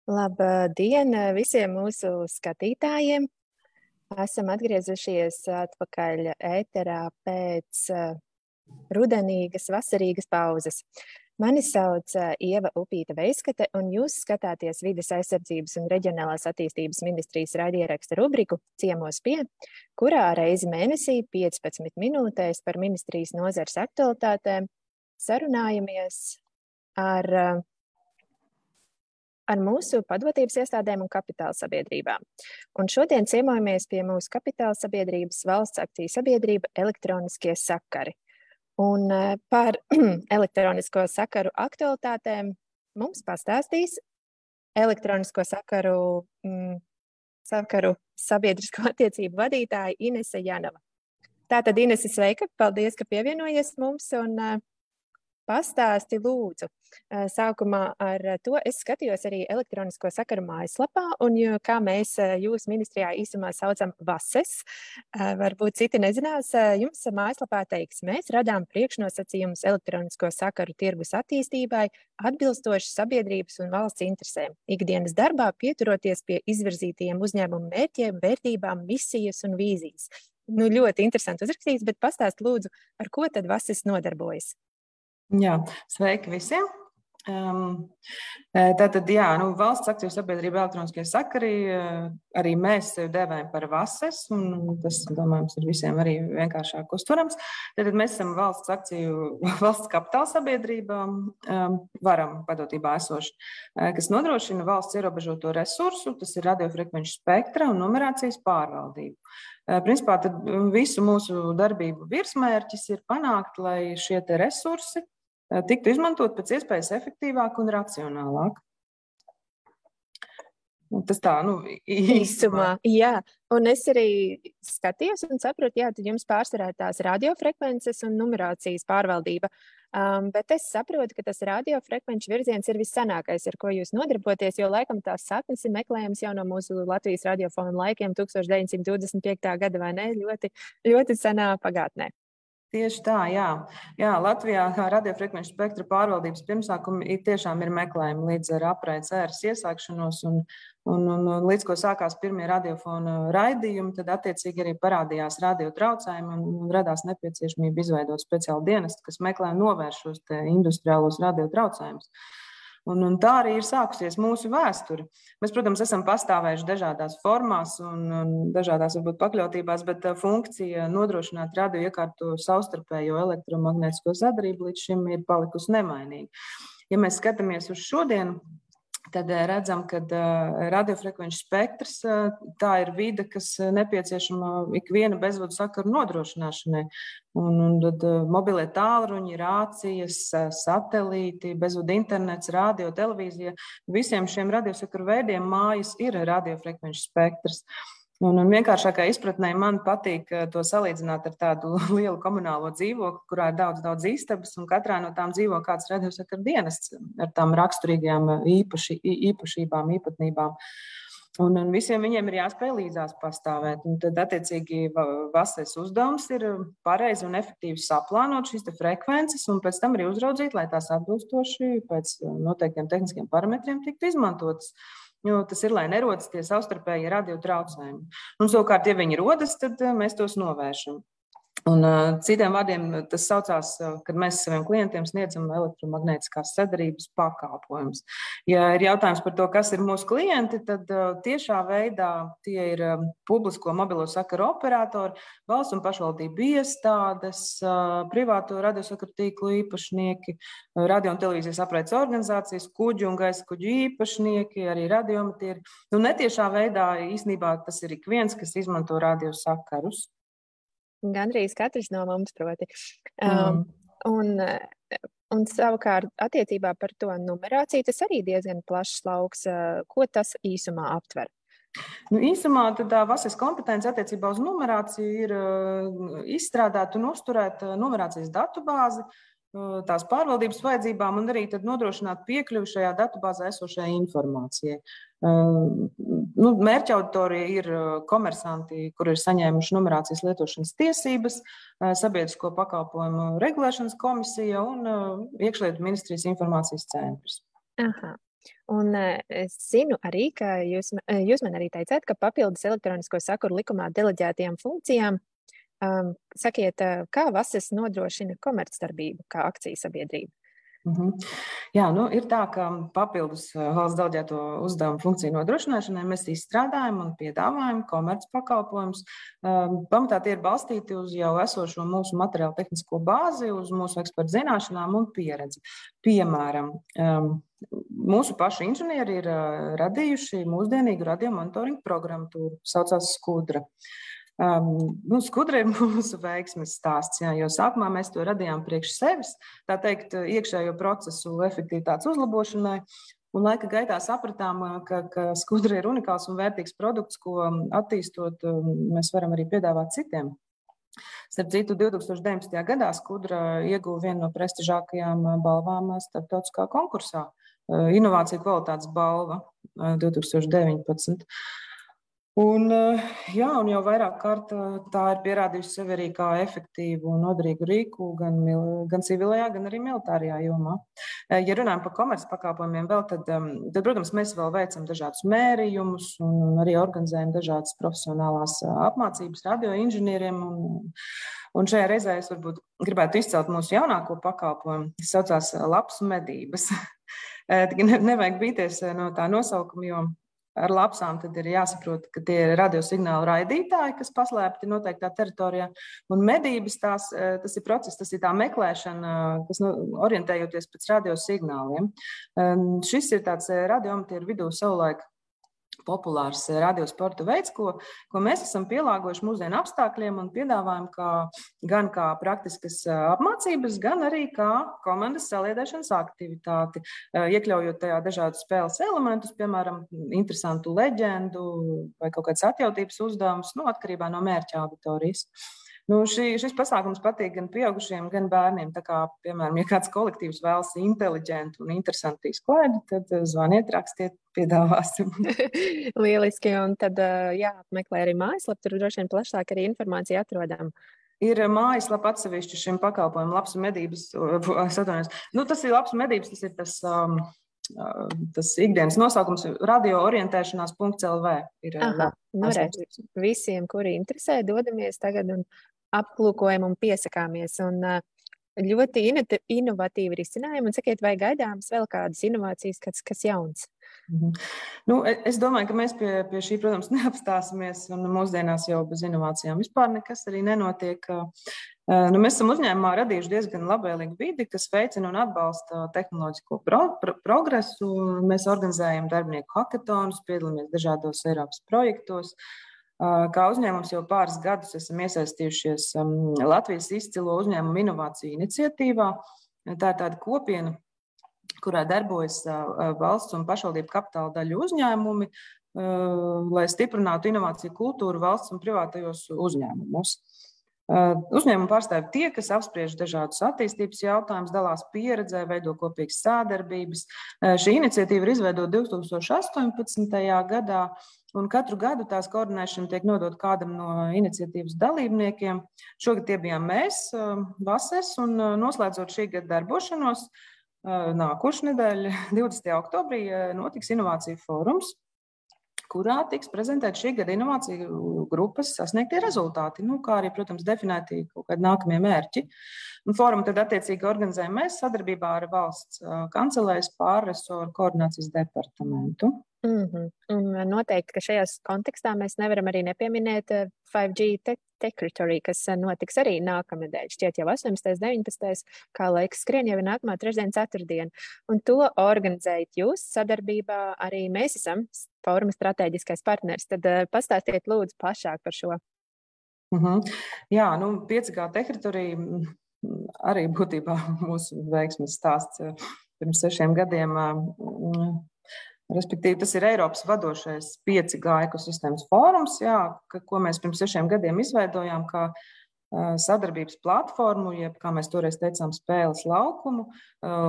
Labdien visiem mūsu skatītājiem! Esam atgriezušies atpakaļ ēterā pēc rudenīgas, vasarīgas pauzes. Mani sauc Ieva Upīta-Veiskate, un jūs skatāties Vides aizsardzības un reģionālās attīstības ministrijas raidieraksta rubriku Ciemos pie, kurā reizi mēnesī 15 minūtēs par ministrijas nozares aktualitātēm sarunājamies ar mūsu padotības iestādēm un kapitāla sabiedrībām. Un šodien ciemojamies pie mūsu kapitāla sabiedrības valsts akciju sabiedrība Elektroniskie sakari. Un par elektronisko sakaru aktualitātēm mums pastāstīs elektronisko sakaru sabiedrisko attiecību vadītāja Inese Janova. Tātad, Inese, sveika! Paldies, ka pievienojies mums un pastāsti lūdzu. Sākumā ar to es skatījos arī elektronisko sakaru mājaslapā, un kā mēs jūs ministrijā īsumā saucam VASES, varbūt citi nezinās, jums mājaslapā teiks, mēs radām priekšnosacījumus elektronisko sakaru tirgus attīstībai, atbilstoši sabiedrības un valsts interesēm, ikdienas darbā pieturoties pie izvirzītajiem uzņēmumu mērķiem, vērtībām, misijas un vīzijas. Ļoti interesanti uzrakstīts, bet pastāst lūdzu, ar ko tad VASES nodarbojas? Jā, sveiki visiem! Tātad, valsts akciju sabiedrība elektroniskie sakari, arī mēs sevi dēvējam par VASES, un tas, domājams, ir visiem arī vienkāršāk uztverams. Tātad mēs esam valsts kapitāla sabiedrība, varam padotībā esoši, kas nodrošina valsts ierobežoto resursu, tas ir radiofrekvenču spektra un numerācijas pārvaldību. Principā, tad visu mūsu darbību virsmērķis ir panākt, lai šie te resursi tiktu izmantot pēc iespējas efektīvāk un racionālāk. Tas tā, īsumā. Jā, un es arī skatījos un saprotu, tad jums pārsvarā tās radiofrekvences un numerācijas pārvaldība. Bet es saprotu, ka tas radiofrekvenču virziens ir vissanākais, ar ko jūs nodarboties, jo laikam tās saknes ir meklējams jau no mūsu Latvijas radiofona laikiem 1925. gada, vai ne? Ļoti, ļoti senā pagātnē. Tieši tā, jā. Latvijā radiofrekvenču spektra pārvaldības pirmsākumi tiešām ir meklējumi līdz ar apraides ēras iesākšanos un līdz ko sākās pirmie radiofona raidījumi, tad attiecīgi arī parādījās radiotraucējumi un radās nepieciešamība izveidot speciālu dienestu, kas meklē un novērš šos industriālos radiotraucējumus. Un tā arī ir sākusies mūsu vēsture. Mēs, protams, esam pastāvējuši dažādās formās un dažādās varbūt pakļautībās, bet funkcija nodrošināt radioiekārtu savstarpējo elektromagnētisko sadarību līdz šim ir palikusi nemainīga. Ja mēs skatāmies uz šodienu, tad redzam, ka radiofrekvenču spektrs tā ir vide, kas nepieciešama ikviena bezvadu sakaru nodrošināšanai. Un tad mobilie tālruņi, rācijas, satelīti, bezvadu internets, radio, televīzija, visiem šiem radiosakaru veidiem mājas ir radiofrekvenču spektrs. Un vienkāršākā izpratnē man patīk to salīdzināt ar tādu lielu komunālo dzīvokli, kurā ir daudz istabas, un katrā no tām dzīvo kāds radiosakaru dienests ar tām raksturīgajām īpašībām, īpatnībām. Un visiem viņiem ir jāspēj līdzās pastāvēt. Un tad, attiecīgi, VASES uzdevums ir pareizi un efektīvi saplānot šīs frekvences un pēc tam arī uzraudzīt, lai tās atbilstoši pēc noteiktiem tehniskiem parametriem tiktu izmantotas. Jo tas ir, lai nerodas tie savstarpēji radiotraucējumi. Un savukārt, ja viņi rodas, tad mēs tos novēršam. Un citiem vārdiem tas saucās, kad mēs saviem klientiem sniedzam elektromagnētiskās sadarības pakalpojumus. Ja ir jautājums par to, kas ir mūsu klienti, tad tiešā veidā tie ir publisko mobilo sakaru operatori, valsts un pašvaldību iestādes, privāto radiosakaru tīklu īpašnieki, radio un televīzijas apraides organizācijas, kuģu un gaisa kuģu īpašnieki, arī radiomatieri. Netiešā veidā īstenībā tas ir ik viens, kas izmanto radiosakarus. Gandrīz katrs no mums, proti. Un savukārt attiecībā par to numerāciju, tas arī diezgan plašs lauks. Ko tas īsumā aptver? Īsumā tā VASES kompetence attiecībā uz numerāciju ir izstrādāt un uzturēt numerācijas datubāzi, tās pārvaldības vajadzībām un arī tad nodrošināt piekļuvi šajā datubāzē esošajai informācijai. Mērķa auditorija ir komersanti, kuri ir saņēmuši numerācijas lietošanas tiesības, Sabiedrisko pakalpojumu regulēšanas komisija un Iekšlietu ministrijas informācijas centrs. Aha. Un es zinu arī, ka jūs man arī teicāt, ka papildus elektronisko sakuru likumā deleģētajām funkcijām sakiet, kā VASES nodrošina komercdarbību kā akciju sabiedrība? Jā, ir tā, ka papildus valsts deleģēto uzdevumu funkciju nodrošināšanai mēs izstrādājam un piedāvājam komercpakalpojumus. Pamatā tie ir balstīti uz jau esošo mūsu materiālu tehnisko bāzi, uz mūsu ekspertu zināšanām un pieredzi. Piemēram, mūsu paši inženieri ir radījuši mūsdienīgu radiomonitoringu programmatūru, saucās Skudra. Skudra ir mūsu veiksmes stāsts, jo sākumā mēs to radījām priekš sevis, tā teikt, iekšējo procesu efektivitātes uzlabošanai, un laika gaitā sapratām, ka Skudra ir unikāls un vērtīgs produkts, ko attīstot mēs varam arī piedāvāt citiem. Starp citu, 2019. gadā Skudra ieguva vienu no prestižākajām balvām starptautiskā konkursā, Inovāciju kvalitātes balva 2019. Un jau vairāk kārt tā ir pierādījusi sevi arī kā efektīvu un noderīgu rīku gan civilajā, gan arī militārajā jomā. Ja runājam par komercpakalpojumiem vēl, tad, protams, mēs vēl veicam dažādus mērījumus un arī organizējam dažādas profesionālās apmācības radioinženieriem. Un šajā reizē es varbūt gribētu izcelt mūsu jaunāko pakalpojumu, kas saucās lapsu medības. Nevajag bīties no tā nosaukuma, jo ar lapsām tad ir jāsaprot, ka tie ir radiosignālu raidītāji, kas paslēpti noteiktā teritorijā. Un medības tas ir process, tas ir tā meklēšana, kas orientējoties pēc radiosignāliem. Šis ir tāds radioamatieru vidū savulaik populārs radiosporta veids, ko mēs esam pielāgojuši mūsdienu apstākļiem un piedāvājam gan kā praktiskas apmācības, gan arī kā komandas saliedēšanas aktivitāti, iekļaujot tajā dažādus spēles elementus, piemēram, interesantu leģendu vai kaut kāds atjautības uzdevums, atkarībā no mērķa auditorijas. Šis pasākums patīk gan pieaugušiem, gan bērniem. Tā kā, piemēram, ja kāds kolektīvs vēlas inteliģentu un interesantu izklaidi, tad zvaniet, rakstiet, piedāvāsim. Lieliski, un tad jāapmeklē arī mājaslapa, tur droši vien plašāk arī informācija atrodama. Ir mājaslapa atsevišķi šim pakalpojumam, lapsu medības. Tas ir lapsu medības, tas ir tas ikdienas nosaukums radioorientēšanās.lv. Visiem, kuri interesē, dodamies tagad un apklūkojam un piesakāmies. Un ļoti inovatīvi risinājumi. Un sakiet, vai gaidāms vēl kādas inovācijas, kas jauns? Es domāju, ka mēs pie šī, protams, neapstāsimies. Un mūsdienās jau bez inovācijām vispār nekas arī nenotiek. Mēs esam uzņēmumā radījuši diezgan labvēlīgu vidi, kas veicina un atbalsta tehnoloģisko progresu. Mēs organizējam darbinieku hackathonus, piedalāmies dažādos Eiropas projektos. Kā uzņēmums jau pāris gadus esam iesaistījušies Latvijas izcilo uzņēmumu inovāciju iniciatīvā. Tā ir tāda kopiena, kurā darbojas valsts un pašvaldību kapitāla daļu uzņēmumi, lai stiprinātu inovāciju kultūru valsts un privātajos uzņēmumos. Uzņēmumu pārstāvji tie, kas apspriež dažādus attīstības jautājumus, dalās pieredzē, veido kopīgas sadarbības. Šī iniciatīva ir izveidota 2018. gadā, un katru gadu tās koordinēšana tiek nodota kādam no iniciatīvas dalībniekiem. Šogad tie bijām mēs, VASES, un noslēdzot šī gada darbošanos, nākošu nedēļu, 20. oktobrī, notiks inovāciju fórums, kurā tiks prezentēt šī gada inovāciju grupas sasniegtie rezultāti, kā arī, protams, definēti kaut kādi nākamie mērķi. Un fórumu tad attiecīgi organizējam mēs sadarbībā ar valsts kancelējas pārresoru koordinācijas departamentu. Un noteikti, ka šajās kontekstā mēs nevaram arī nepieminēt 5G Techritory, kas notiks arī nākamnedēļ. Šķiet jau 18. 19. kā laiks skrien, jau ir nākamā trešdiena, ceturtdiena. Un to organizējat jūs sadarbībā, arī mēs esam fóruma strateģiskais partners. Tad pastāstiet lūdzu plašāk par šo. Jā, 5G Techritory arī būtībā mūsu veiksmes stāsts pirms 6 gadiem. Respektīvi, tas ir Eiropas vadošais 5G ekosistēmas fórums, ko mēs pirms 6 gadiem izveidojām kā sadarbības platformu, jeb, kā mēs toreiz teicām, spēles laukumu,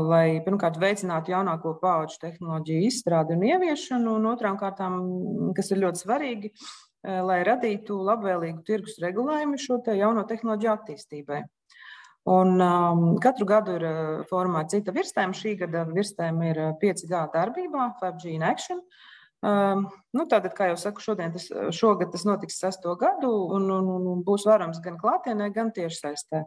lai pirmkārt veicinātu jaunāko paudžu tehnoloģiju izstrādi un ieviešanu, un otrām kārtām, kas ir ļoti svarīgi, lai radītu labvēlīgu tirgus regulējumu šo te jauno tehnoloģiju attīstībai. Un katru gadu ir formā cita virstēma. Šī gada virstēma ir 5G darbībā, 5G in action. Tātad, kā jau saku, šogad tas notiks 6. gadu un būs varams gan klātienē, gan tiešsaistē.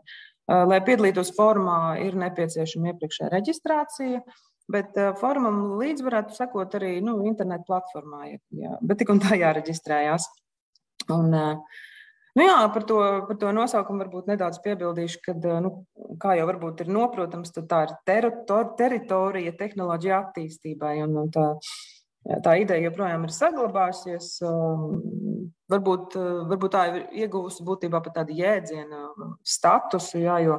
Lai piedalītos formā, ir nepieciešama iepriekšējā reģistrācija, bet formam līdz varētu sekot arī internetu platformā, bet tik un tā jāreģistrējās. Un, par to nosaukumu varbūt nedaudz piebildīšu, kad, kā jau varbūt ir noprotams, tad tā ir teritorija tehnoloģija attīstībai, un tā ideja joprojām ir saglabājusies. Varbūt tā ir ieguvusi būtībā pat tādu jēdzienu statusu, jo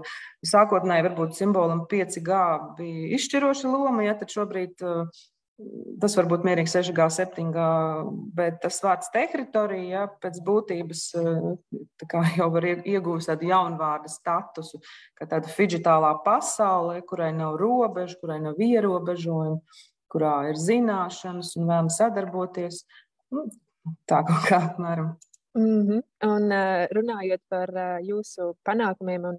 sākotnēji varbūt simbolam 5G bija izšķiroša loma, tad šobrīd tas var būt mierīgi 6G, 7G, bet tas vārds teritorija pēc būtības jau var iegūst tādu jaunvārdu statusu, kā tāda digitālā pasaule, kurai nav robežu, kurai nav ierobežojumu, kurā ir zināšanas un vēlam sadarboties. Tā kaut kā apmēram. Un runājot par jūsu panākumiem un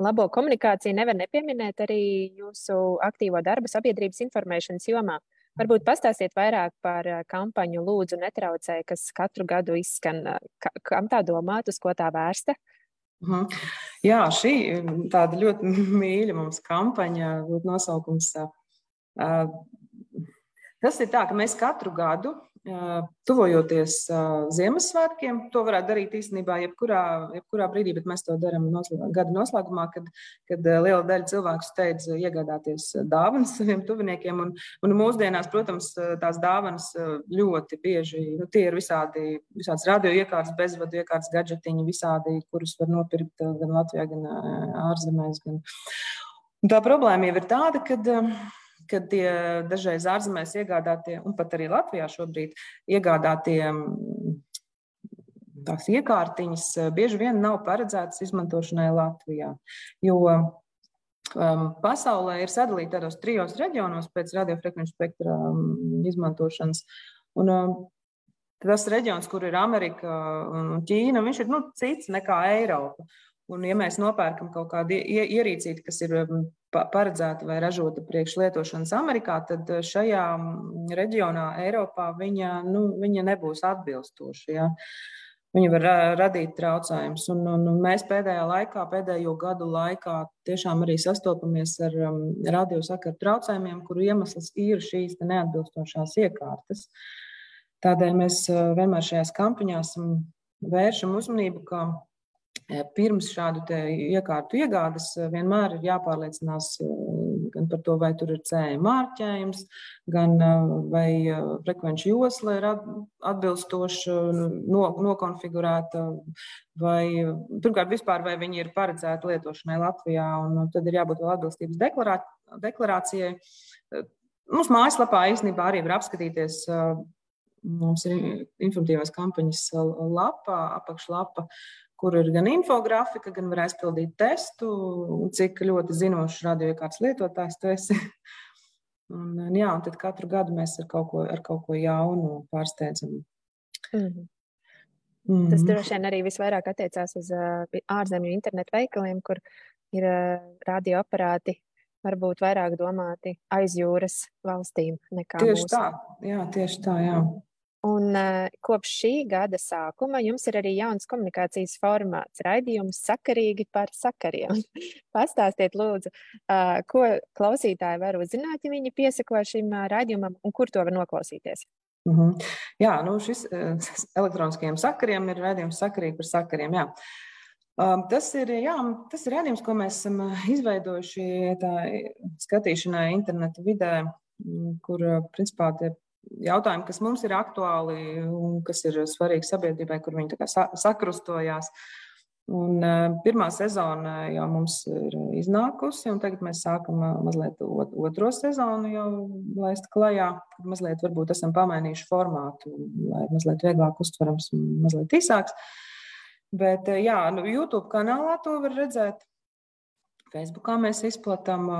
labo komunikāciju, nevar nepieminēt arī jūsu aktīvo darbu sabiedrības informēšanas jomā. Varbūt pastāstiet vairāk par kampaņu Lūdzu netraucē, kas katru gadu izskan. Kam tā domāt, uz ko tā vērsta? Jā, šī tāda ļoti mīļa mums kampaņa, būtu nosaukums. Tas ir tā, ka mēs katru gadu, tuvojoties Ziemassvētkiem, to varētu darīt īstenībā jebkurā brīdī, bet mēs to darām gada noslēgumā, kad liela daļa cilvēku steidz iegādāties dāvanas saviem tuviniekiem. Un mūsdienās, protams, tās dāvanas ļoti bieži, tie ir visādas radio iekārtas, bezvadu iekārtas, gadžetiņi, visādi, kurus var nopirkt gan Latvijā, gan ārzemēs. Un tā problēma jau ir tāda, kad tie dažreiz ārzemēs iegādātie, un pat arī Latvijā šobrīd iegādātie tās iekārtiņas bieži vien nav paredzētas izmantošanai Latvijā. Jo pasaulē ir sadalīta tādos 3 reģionos pēc radiofrekvenču spektra izmantošanas. Un tas reģions, kur ir Amerika un Ķīna, viņš ir cits nekā Eiropa. Un, ja mēs nopērkam kaut kādu ierīcīti, kas ir paredzēta vai ražota priekš lietošanas Amerikā, tad šajā reģionā Eiropā viņa nebūs atbilstoša. Ja? Viņa var radīt traucējumus. Un mēs pēdējo gadu laikā tiešām arī sastopamies ar radiosakaru traucējumiem, kuru iemesls ir šīs neatbilstošās iekārtas. Tādēļ mēs vienmēr šajās kampaņās vēršam uzmanību, ka pirms šādu iekārtu iegādes vienmēr ir jāpārliecinās gan par to, vai tur ir CE mārķējums, gan vai frekvenču josla ir atbilstoši nokonfigurēta, vai pirmkārt vispār, vai viņi ir paredzēti lietošanai Latvijā, un tad ir jābūt vēl atbilstības deklarācijai. Mums mājaslapā īstenībā arī var apskatīties, mums ir informatīvās kampaņas lapa, apakšlapa, kur ir gan infografika, gan var aizpildīt testu, cik ļoti zinošs radioiekārtas lietotājs tu esi. Un tad katru gadu mēs ar kaut ko jaunu pārsteidzam. Tas droši vien arī visvairāk attiecās uz ārzemju internetu veikaliem, kur ir radioaparāti varbūt vairāk domāti aiz jūras valstīm nekā tieši mūsu. Tieši tā, jā. Un kopš šī gada sākuma jums ir arī jauns komunikācijas formāts, raidījums Sakarīgi par sakariem. Pastāstiet, lūdzu, ko klausītāji var uzzināt, ja viņi piesako šim raidījumam, un kur to var noklausīties? Jā, šis elektroniskajiem sakariem ir raidījums Sakarīgi par sakariem, jā. Tas ir raidījums, ko mēs esam izveidojuši skatīšanai internetu vidē, kur principā tie jautājumi, kas mums ir aktuāli un kas ir svarīgi sabiedrībai, kur viņi sakrustojās. Un pirmā sezona jau mums ir iznākusi, un tagad mēs sākam mazliet otro sezonu jau laist klajā, kad mazliet varbūt esam pamainījuši formātu, lai mazliet vieglāk uztverams un mazliet īsāks. Bet YouTube kanālā to var redzēt. Facebookā mēs izplatām.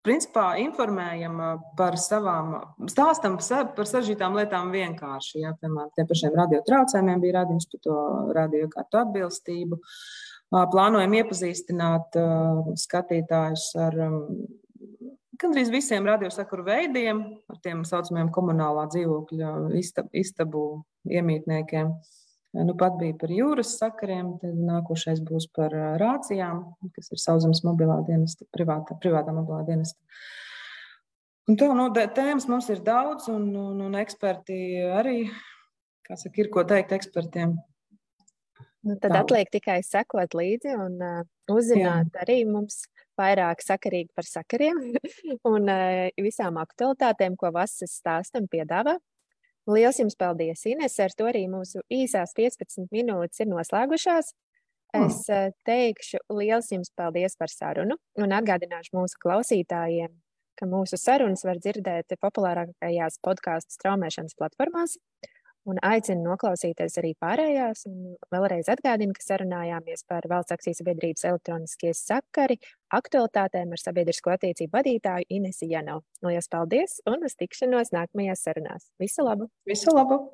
Principā informējam par stāstam par sažģītām lietām vienkārši. Ja, piemēram, tiem pašiem radiotraucējumiem bija raidījums par to radioiekārtu atbilstību. plānojam iepazīstināt skatītājus ar gandrīz visiem radiosakaru veidiem, ar tiem saucamajiem komunālā dzīvokļa istabu iemītniekiem. Nu, pat bija par jūras sakariem, tad nākošais būs par rācijām, kas ir Sauszemes mobilā dienesta, privātā mobilā dienesta. Un tā, tēmas mums ir daudz, un eksperti arī, kā saka, ir ko teikt ekspertiem. Nu, tad atliek tikai sekot līdzi un uzzināt arī mums vairāk sakarīgi par sakariem un visām aktualitātēm, ko Vasaras stāstam piedāvā. Liels jums paldies, Ines, ar to arī mūsu īsās 15 minūtes ir noslēgušās. Es teikšu liels jums paldies par sarunu un atgādināšu mūsu klausītājiem, ka mūsu sarunas var dzirdēt populārākajās podcastu straumēšanas platformās. Un aicinu noklausīties arī pārējās. Un vēlreiz atgādinu, ka sarunājāmies par Valsts akciju sabiedrības elektroniskie sakari aktualitātēm ar sabiedrisko attiecību vadītāju Inesi Janovu. Lielas paldies un uz tikšanos nākamajās sarunās. Visu labu! Visu labu!